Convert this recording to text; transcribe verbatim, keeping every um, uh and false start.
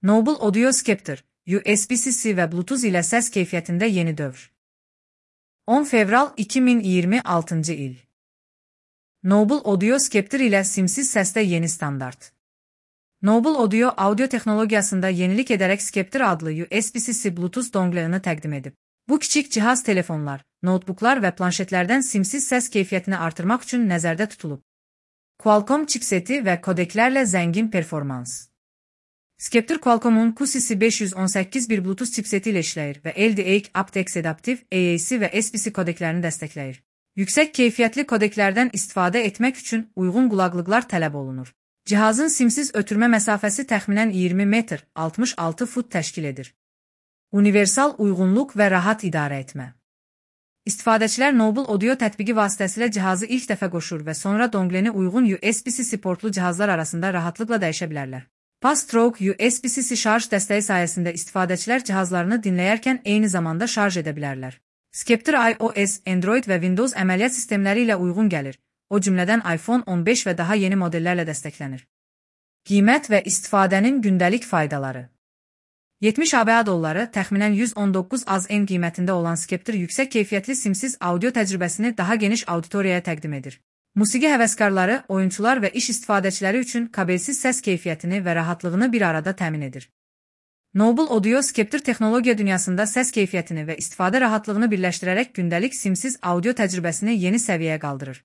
Noble Audio Scepter, U S B-C və Bluetooth ilə səs keyfiyyətində yeni dövr. on fevral iki min iyirmi altıncı il. Noble Audio Scepter ilə simsiz səsdə yeni standart. Noble Audio audio texnologiyasında yenilik edərək Scepter adlı U S B-C Bluetooth dongle-ını təqdim edib. Bu kiçik cihaz telefonlar, notebooklar və planşetlərdən simsiz səs keyfiyyətini artırmaq üçün nəzərdə tutulub. Qualcomm chipseti və kodeklərlə zəngin performans. Scepter Qualcomm'un Q C C beş yüz on səkkiz bir Bluetooth chipseti ilə işləyir və L D A C, aptX Adaptive, A A C və S B C kodeklərini dəstəkləyir. Yüksək keyfiyyətli kodeklərdən istifadə etmək üçün uyğun qulaqlıqlar tələb olunur. Cihazın simsiz ötürmə məsafəsi təxminən iyirmi metr, altmış altı fut təşkil edir. Universal uyğunluq və rahat idarə etmə. İstifadəçilər Noble Audio tətbiqi vasitəsilə cihazı ilk dəfə qoşur və sonra dongleni uyğun U S B-C portlu cihazlar arasında rahatlıqla dəyişə bilərlər. Fast-Stroke U S B-C şarj dəstəyi sayəsində istifadəçilər cihazlarını dinləyərkən eyni zamanda şarj edə bilərlər. Scepter iOS, Android və Windows əməliyyat sistemləri ilə uyğun gəlir, o cümlədən iPhone on beş və daha yeni modellərlə dəstəklənir. Qiymət və istifadənin gündəlik faydaları. yetmiş ABŞ dolları, təxminən yüz on doqquz az en qiymətində olan Scepter yüksək keyfiyyətli simsiz audio təcrübəsini daha geniş auditoriyaya təqdim edir. Musiqi həvəskarları, oyunçular və iş istifadəçiləri üçün kabelsiz səs keyfiyyətini və rahatlığını bir arada təmin edir. Noble Audio Scepter texnologiya dünyasında səs keyfiyyətini və istifadə rahatlığını birləşdirərək gündəlik simsiz audio təcrübəsini yeni səviyyəyə qaldırır.